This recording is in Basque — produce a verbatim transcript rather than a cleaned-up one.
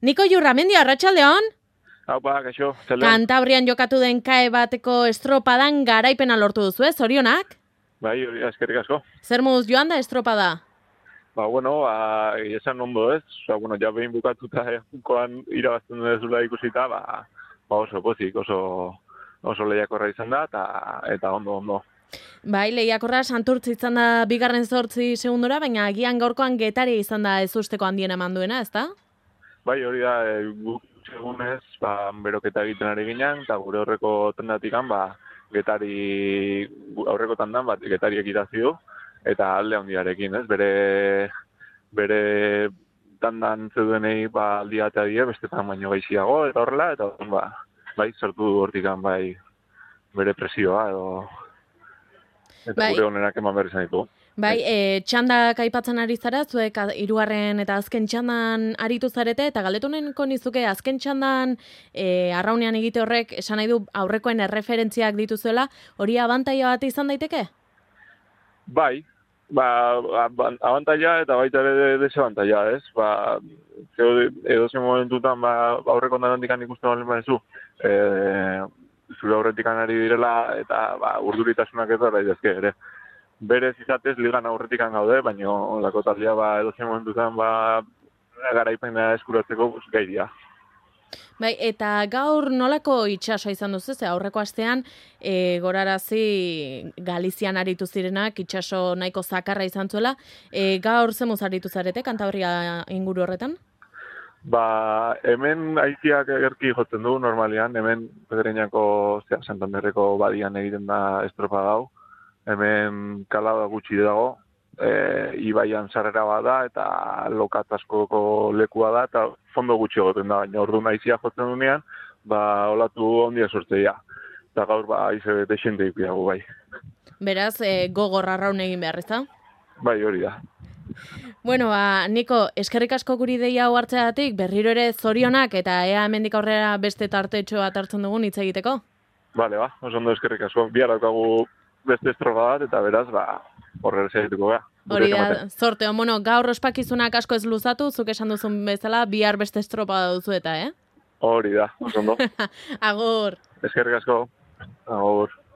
Niko Jurramendi, arratsaldeon. Haupa, kaixo, zelan. Kantabrian jokatu den kae bateko estropadan garaipena lortu duzu, ez? Zorionak? Bai, hori eskerrik asko. Zer moduz joan da estropada? Ba, bueno, ba, esan ondo ez. Osa, bueno, ja behin bukatuta junkoan irabazten dezula ikusita, ba, ba oso pozik, oso, oso lehiakorra izan da, eta, eta ondo, ondo. Bai, lehiakorra Santurtzi izan da bigarren zortzi segundora, baina agian gaurkoan Getari izan da ez usteko handien eman duena, ezta? Bai, hori da, e, guk segunez, ba, beroketa egiten ari ginen, eta gure horreko tendatikan, ba, Getari, aurreko tandan, bat, Getari ekitazi du, eta alde handiarekin, ez? Bere, bere tandan zeudenei, ba, aldia eta die, bestetan baino gaixiago, eta horrela, eta ba, bai, sortu du hortikan, bai, bere presioa, edo, eta bai, gure honenak eman behar izan ditu. Bai, e, txandak aipatzen ari zara, zuek hirugarren eta azken txandan aritu zarete, eta galdetu nahiko nizuke azken txandan e, arraunean egite horrek, esan nahi du aurrekoen erreferentziak dituzuela, hori abantaila bat izan daiteke? Bai, ba, abantaila eta baita ere desabantaila, ez? Ba, edo zen momentutan, ba, aurreko ondanantikan ikusten balen badezu, e, zure aurretikan ari direla, eta ba, urduritasunak ez da daitezke ere. Berez izatez ligan aurretikan gaude, baina olako taldea ba, edo zen momentutan ba, garaipena eskuratzeko gai dira. Bai, eta gaur nolako itxasoa izan duzu, ze aurreko astean e, gorarazi Galizian aritu zirenak, itxaso nahiko zakarra izan zuela. E, gaur zemuz aritu zarete, Kantabria inguru horretan? Ba, hemen aiziak egerki jotzen du normalian, hemen Pedreñako, zera, Santanderreko badian egiten da estropa gau. Hemen kalada gutxi dago, e, ibaian sarrera bada eta lokat askoko lekua da, eta fondo gutxi egoten da, baina ordu naizia jotzen dunean, ba, olatu ondia sortzeia. Eta gaur, ba, aize desente ipiago, bai. Beraz, e, gogor arraun egin behar, ezta? Bai, hori da. Bueno, ba, Niko, eskerrik asko guri deia hau hartzeagatik, berriro ere zorionak, eta ea hemendik aurrera beste tartetxo bat hartzen dugun hitz egiteko? Bale, ba, oso ondo eskerrik asko. Bihar daukagu beste estropa bat, eta beraz, ba, horrela segituko gara. Hori da, zorte, bueno, gaur ospakizunak asko ez luzatu, zuk esan duzun bezala, bihar beste estropa duzu eta, eh? Hori da, oso ondo. Agur. Eskerrik asko. Agur.